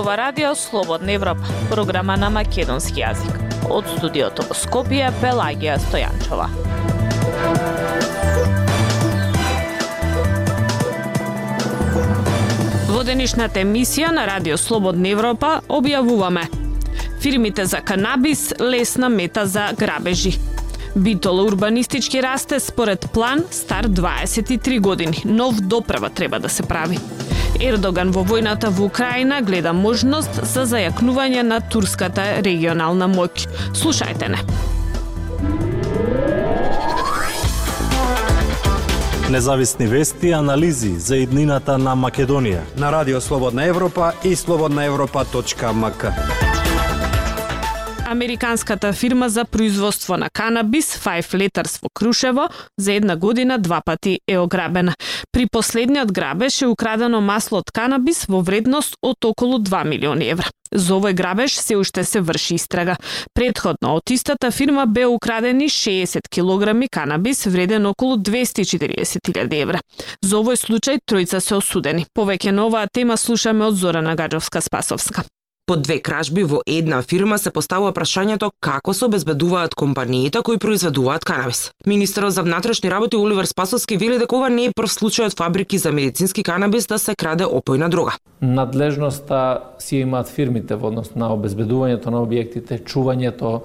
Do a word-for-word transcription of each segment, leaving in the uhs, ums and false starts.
зборува Радио Слободна Европа, програма на македонски јазик. Од студиото во Скопје, Пелагија Стојанчова. Во денешната емисија на Радио Слободна Европа објавуваме: фирмите за канабис лесна мета за грабежи. Битола урбанистички расте според план стар дваесет и три години. Нов доправа треба да се прави. Ердоган во војната во Украина гледа можност за зајакнување на турската регионална моќ. Слушајте не. Независни вести и анализи за иднината на Македонија на Радио Слободна Европа и слободна европа точка ем ка. Американската фирма за производство на канабис Five Letters во Крушево за една година два пати е ограбена. При последниот грабеж е украдено масло од канабис во вредност од околу два милиони евра. За овој грабеж се уште се врши истрага. Предходно од истата фирма бе украдени шеесет килограми канабис вреден околу двесте и четириесет илјади евра. За овој случај тројца се осудени. Повеќе на оваа тема слушаме од Зорана Гаджовска-Спасовска. По две кражби во една фирма се поставува прашањето како се обезбедуваат компаниите кои произведуваат канабис. Министерот за внатрешни работи Оливер Спасовски вели дека ова не е прв случај од фабрики за медицински канабис да се краде опојна дрога. Надлежноста си имаат фирмите во однос на обезбедувањето на објектите, чувањето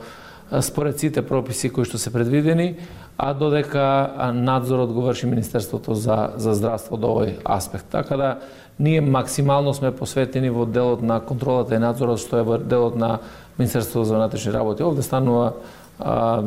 според сите прописи кои што се предвидени, а додека надзорот го врши Министерството за за здравство до овој аспект. Така да ние максимално сме посветени во делот на контролата и надзорот, што е во делот на Министерството за внатрешни работи. Овде станува а,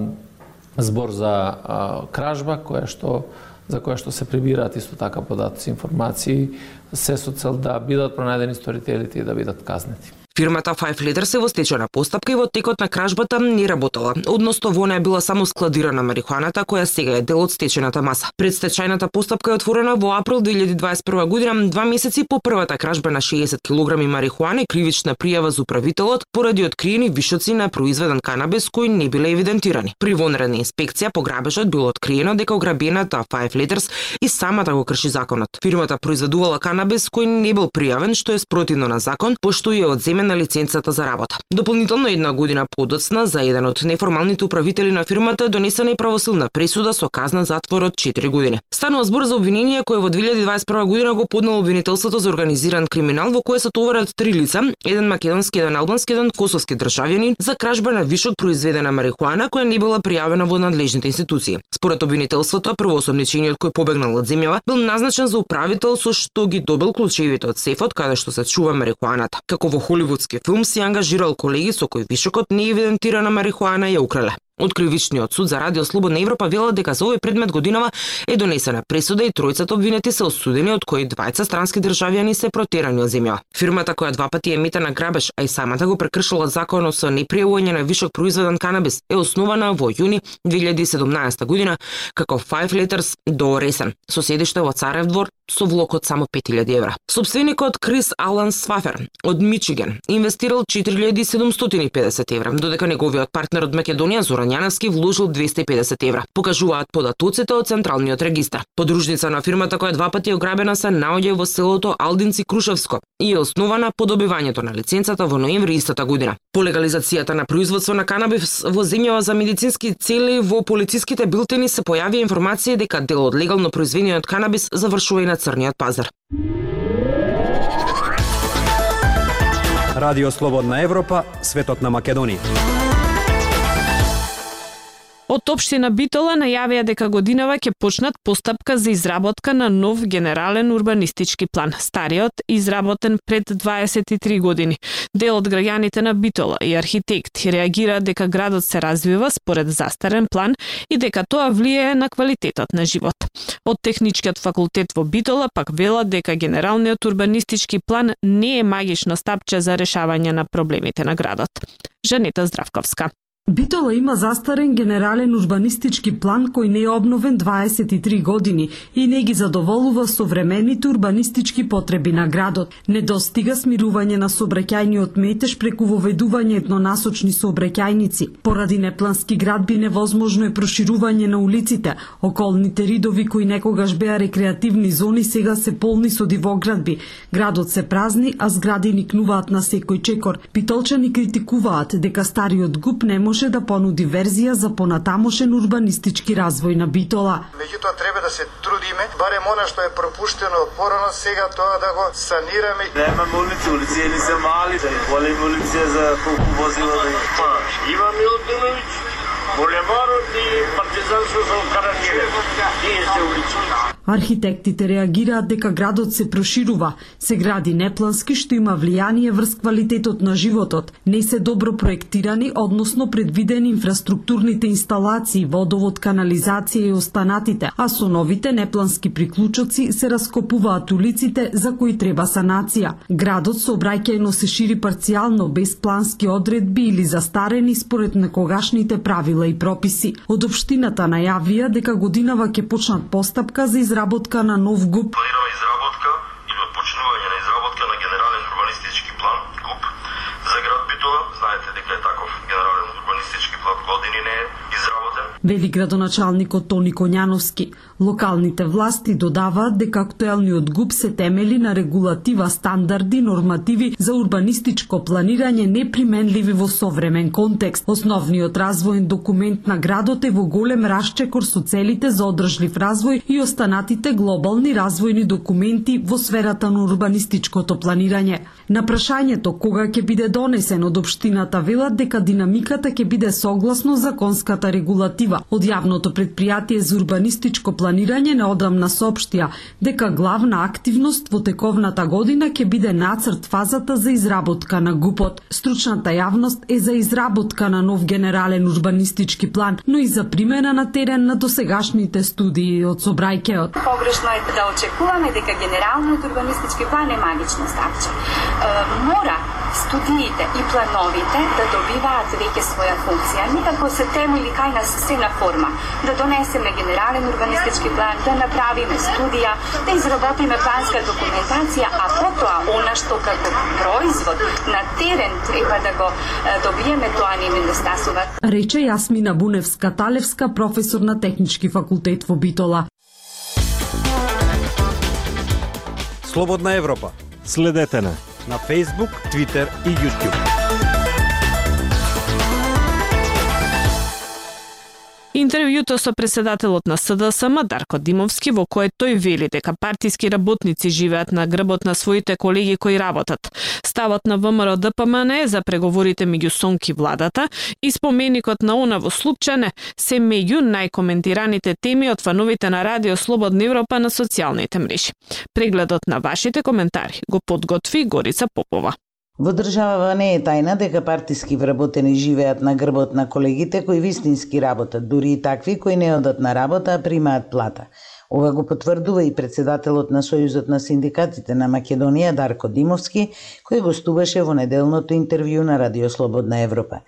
збор за а, кражба, која што за која што се прибираат исто така податоци, информации, се со цел да бидат пронајдени сторителите и да бидат казнети. Фирмата Five Letters е во стечајна постапка и во текот на кражбата не работела. Односно во неја била само складирана марихуаната која сега е дел од стечајната маса. Предстечајната постапка е отворена во април две илјади дваесет и прва година, два месеци по првата кражба на шеесет килограми марихуана и кривична пријава за управителот поради откриени вишоци на произведен канабис кои не биле евидентирани. При вонредна инспекција по грабежот било откриено дека ограбената Five Letters и самата го крши законот. Фирмата произведувала канабис кој не бил пријавен, што е спротивно на закон, пошто ја одземен на лиценцата за работа. Дополнително една година подоцна за еден од неформалните управители на фирмата донесена и правосилна пресуда со казна затвор од четири години. Станува збор за обвинение кое во две илјади дваесет и прва година го поднело обвинителството за организиран криминал во кое се товарат три лица, еден македонски, еден албански, еден косовски државјанин за кражба на вишок произведена марихуана која не била пријавена во надлежните институции. Според обвинителството, првоосомничениот кој побегнал од земјава бил назначен за управител со што ги добил клучевите од сефот каде што се чува марихуаната. Како во холивудски филм си ангажирал колеги со кои вишокот не евидентирана марихуана ја украле. Од кривичниот суд за Радио Слободна Европа вела дека за овој предмет годинава е донесена пресуда и тројцата обвинети се осудени, од кои двајца странски државјани се протерани од земја. Фирмата која два пати е мета на грабеж, а и самата го прекршила законот со непријавување на вишок произведен канабис, е основана во јуни две илјади и седумнаесета година како Five Letters до Ресен, со седиште во Царев двор, со влог од само пет илјади евра. Собственикот Крис Алан Свафер од Мичиген инвестирал четири илјади седумстотини и педесет евра, додека неговиот партнер од Македонија Зоран Јаневски вложил двесте и педесет евра, покажуваат податоците од Централниот регистар. Подружница на фирмата која два пати ограбена се наоѓа во селото Алдинци Крушевско и е основана по добивањето на лиценцата во ноември истата година. По легализацијата на производство на канабис во земјава за медицински цели во полициските билтени се појави информација дека дел од легално произведениот канабис завршува и на црниот пазар. Радио Слободна Европа, светот на Македонија. Од општина Битола најавија дека годинава ќе почнат постапка за изработка на нов генерален урбанистички план. Стариот изработен пред дваесет и три години. Дел од граѓаните на Битола и архитекти реагира дека градот се развива според застарен план и дека тоа влијае на квалитетот на живот. Од Техничкиот факултет во Битола пак велат дека генералниот урбанистички план не е магично стапче за решавање на проблемите на градот. Жанета Здравковска. Битола има застарен генерален урбанистички план кој не е обновен дваесет и три години и не ги задоволува современите урбанистички потреби на градот. Не достига смирување на сообраќајниот метеж преку воведување еднонасочни сообраќајници. Поради неплански градби невозможно е проширување на улиците. Околните ридови кои некогаш беа рекреативни зони сега се полни со дивоградби. Градот се празни, а згради никнуваат на секој чекор. Битолчани критикуваат дека стариот ГУП не може може да понуди верзија за понатамошен урбанистички развој на Битола. Меѓутоа треба да се трудиме, барем она што е пропуштено порано, сега тоа да го санираме. Немаме улици, улици не се мали, да големи улици за колку возила да има. Имаме Милутиновиќ, булеварот и партизанство за Карањеве. Тие се улици. Архитектите реагираат дека градот се проширува, се гради неплански што има влијание врз квалитетот на животот, не се добро проектирани, односно предвидени инфраструктурните инсталации, водовод, канализација и останатите, а со новите неплански приклучоци се раскопуваат улиците за кои треба санација. Градот сообраќајно се шири парцијално, без плански одредби или застарени според некогашните правила и прописи. Од општината најавија дека годинава ќе почнат постапка за изработка на нов ГУП. Планираме изработка или отпочнување на изработка на генерален урбанистички план ГУП за град Битола. Знаете дека е таков генерален урбанистички план години не е изработен. Вели градоначалникот Тони Коњановски. Локалните власти додаваат дека актуелниот ГУП се темели на регулатива, стандарди, нормативи за урбанистичко планирање неприменливи во современ контекст. Основниот развоен документ на градот е во голем расчекор со целите за одржлив развој и останатите глобални развојни документи во сферата на урбанистичкото планирање. На прашањето кога ќе биде донесен од општината велат дека динамиката ќе биде согласно законската регулатива. Од јавното претпријатие за урбанистичко планирање неодамна соопштија дека главна активност во тековната година ќе биде нацрт фазата за изработка на ГУПот. Стручната јавност е за изработка на нов генерален урбанистички план, но и за примена на терен на досегашните студии од Собрајкеот. Погрешно е да очекуваме дека генералниот урбанистички план е магично ставче. Е, мора студиите и плановите да добиваат веќе своја функција, никако се темели кај нас се на форма. Да донесеме генерален урбанистички план, да направиме студија, да изработиме планска документација, а потоа она што како производ на терен треба да го добиеме, тоа не ми недостасува. Рече Јасмина Буневска-Талевска, професор на Технички факултет во Битола. Слободна Европа. Следете на на Facebook, Twitter и YouTube. Интервјуто со председателот на С Д С М Дарко Димовски, во кое тој вели дека партиски работници живеат на грбот на своите колеги кои работат. Ставот на В М Р Д П М Н за преговорите меѓу СОНК и владата и споменикот на она во Слупчане се меѓу најкоментираните теми од фановите на Радио Слободна Европа на социјалните мрежи. Прегледот на вашите коментари го подготви Горица Попова. Во државава не е тајна дека партиски вработени живеат на грбот на колегите кои вистински работат, дури и такви кои не одат на работа, а примаат плата. Ова го потврдува и председателот на Сојузот на синдикатите на Македонија Дарко Димовски, кој гостуваше во неделното интервју на Радио Слободна Европа.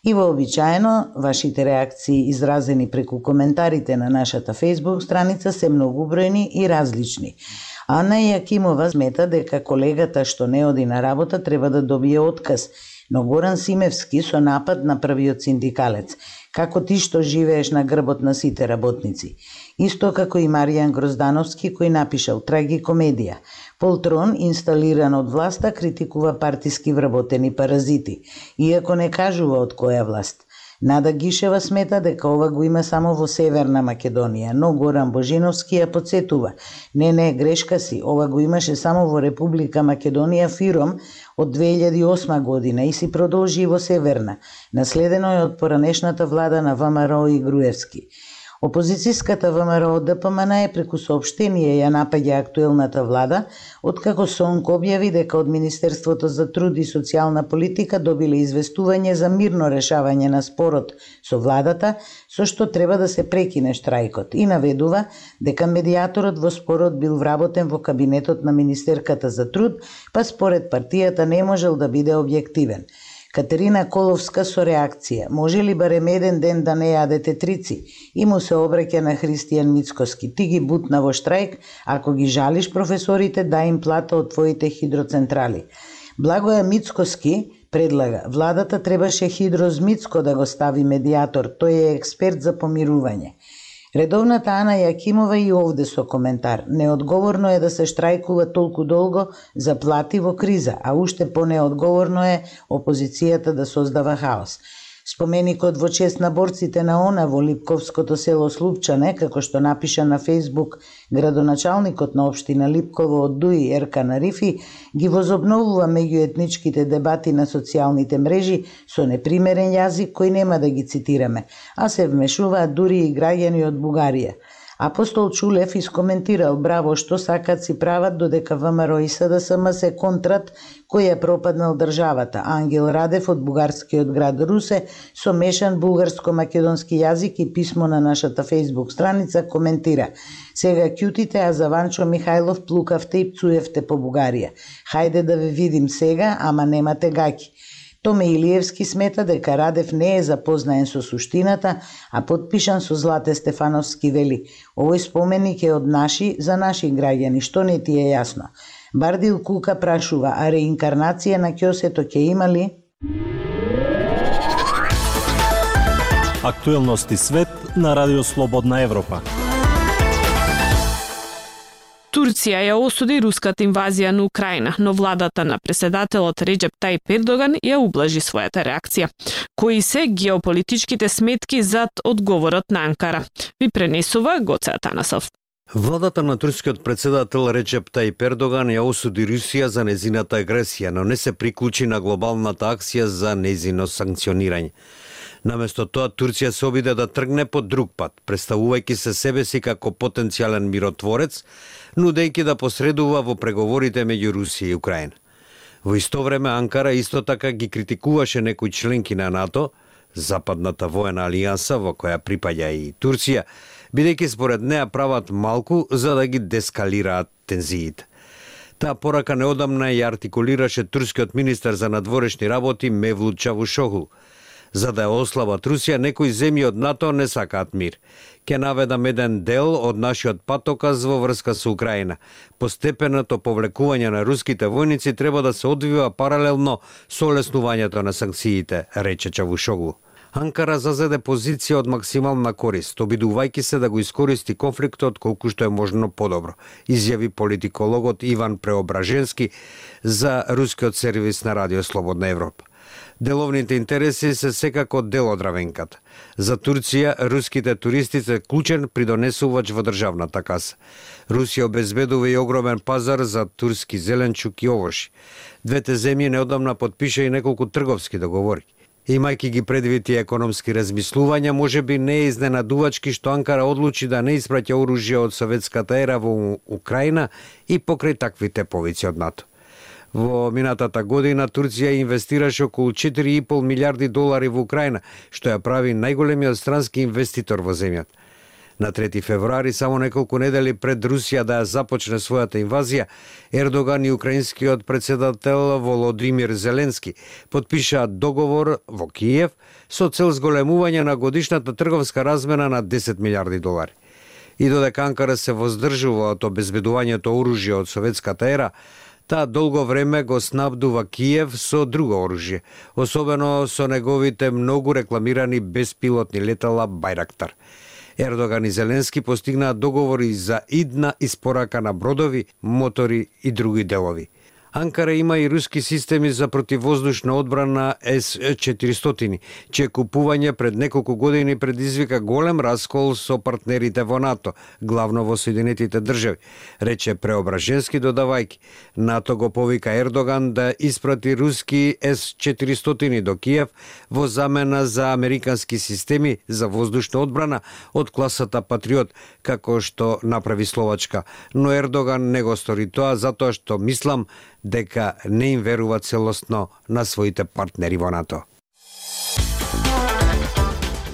И вообичаено, вашите реакции изразени преку коментарите на нашата Facebook страница се многубројни и различни. Ана Јакимова смета дека колегата што не оди на работа треба да добие отказ, но Горан Симевски со напад на првиот синдикалец. Како ти што живееш на грбот на сите работници? Исто како и Маријан Гроздановски кој напишал трагикомедија. Полтрон, инсталиран од власта, критикува партиски вработени паразити, иако не кажува од која власт. Нада Гишева смета дека ова го има само во Северна Македонија, но Горан Божиновски ја подсетува. Не, не, грешка си, ова го имаше само во Република Македонија Фиром од две илјади и осма година и си продолжи во Северна. Наследено е од поранешната влада на В М Р О и Груевски. Опозицијската В М Р О Д П М Н преку соопштение ја напаѓа актуелната влада, откако СОНК објави дека од Министерството за труд и социјална политика добиле известување за мирно решавање на спорот со владата, со што треба да се прекине штрајкот, и наведува дека медијаторот во спорот бил вработен во кабинетот на Министерката за труд, па според партијата не можел да биде објективен. Катерина Коловска со реакција: може ли барем еден ден да не јадете трици? И му се обраќа на Христијан Мицкоски: ти ги бутна во штрајк, ако ги жалиш професорите, дај им плата од твоите хидроцентрали. Благоја Мицкоски предлага: владата требаше Хидроз Мицко да го стави медиатор, тој е експерт за помирување. Редовната Ана Јакимова и овде со коментар: неодговорно е да се штрајкува толку долго за плати во криза, а уште понеодговорно е опозицијата да создава хаос. Споменикот во чест на борците на ОНА во Липковското село Слупчане, како што напиша на Фејсбук градоначалникот на општина Липково од Дуи Еркан Арифи, ги возобновува меѓуетничките дебати на социјалните мрежи со непримерен јазик кој нема да ги цитираме, а се вмешуваат дури и граѓани од Бугарија. Апостол Чулев искоментирал: браво што сакат си прават, додека ВМРО и СДСМ се контрат кој е пропаднал државата. Ангел Радев од бугарскиот град Русе со мешан бугарско-македонски јазик и писмо на нашата фејсбук страница коментира: сега ќутите, а за Ванчо Михајлов плукавте и пцуевте по Бугарија. Хајде да ве видим сега, ама немате гаки. Томе Илиевски смета дека Радев не е запознаен со суштината, а подпишан со Злате Стефановски вели: овој споменик е од наши за наши граѓани, што не ти е јасно? Бардил Кука прашува: а реинкарнација на ќосето ќе има ли? Актуелности свет на Радио Слободна Европа. Турција ја осуди руската инвазија на Украина, но владата на преседателот Реџеп Тајип Ердоган ја ублажи својата реакција. Кои се геополитичките сметки зад одговорот на Анкара? Ви пренесува Гоце Атанасов. Владата на турскиот председател Реџеп Тајип Ердоган ја осуди Русија за незината агресија, но не се приклучи на глобалната акција за незино санкционирање. Наместо тоа, Турција се обиде да тргне по друг пат, представувајќи се себе си како потенцијален миротворец, нудејќи да посредува во преговорите меѓу Русија и Украина. Во исто време, Анкара исто така ги критикуваше некои членки на НАТО, Западната воена алијанса во која припаѓа и Турција, бидејќи според неа прават малку за да ги дескалираат тензиите. Таа порака неодамна ја артикулираше турскиот министер за надворешни работи Мевлут Чавушоглу. За да ја ослабат Русија, некои земји од НАТО не сакаат мир. Ке наведам еден дел од нашиот патоказ во врска со Украина. Постепеното повлекување на руските војници треба да се одвива паралелно со олеснувањето на санкциите, рече Чавушоглу. Анкара зазеде позиција од максимална корист, обидувајќи се да го искористи конфликтот колку што е можно подобро, изјави политикологот Иван Преображенски за рускиот сервис на Радио Слободна Европа. Деловните интереси се секако дел од равенката. За Турција, руските туристи се клучен придонесувач во државната каса. Русија обезбедува и огромен пазар за турски зеленчук и овоши. Двете земји неодамна потпиша и неколку трговски договори. Имајќи ги предвид и економски размислувања, може би не е изненадувачки што Анкара одлучи да не испраќа оружје од советската ера во Украина и покрај таквите повици од НАТО. Во минатата година Турција инвестираше околу четири и пол милиарди долари во Украина, што ја прави најголемиот странски инвеститор во земјата. На трети февруари, само неколку недели пред Русија да ја започне својата инвазија, Ердоган и украинскиот председател Володимир Зеленски потпишаат договор во Киев со цел зголемување на годишната трговска размена на десет милиарди долари. И додека Анкара се воздржува од обезбедувањето оружје од советската ера, таа долго време го снабдува Киев со друго оружје, особено со неговите многу рекламирани беспилотни летала Байрактар. Ердоган и Зеленски постигнаат договори за идна испорака на бродови, мотори и други делови. Анкара има и руски системи за противвоздушна одбрана С четиристотини, чие купување пред неколку години предизвика голем раскол со партнерите во НАТО, главно во Соединетите држави, рече Преображенски додавајќи. НАТО го повика Ердоган да испрати руски С четиристотини до Киев во замена за американски системи за воздушна одбрана од класата Патриот, како што направи Словачка, но Ердоган не го стори тоа затоа што мислам дека не им верува целосно на своите партнери во НАТО.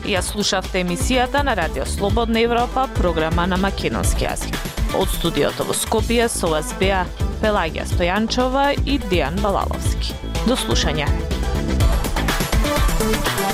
Ја слушавте емисијата на Радио Слободна Европа, програма на македонски јазик. Од студиото во Скопје со вас беа Пелагија Стојанчова и Дејан Балаловски. До слушање. Thank you.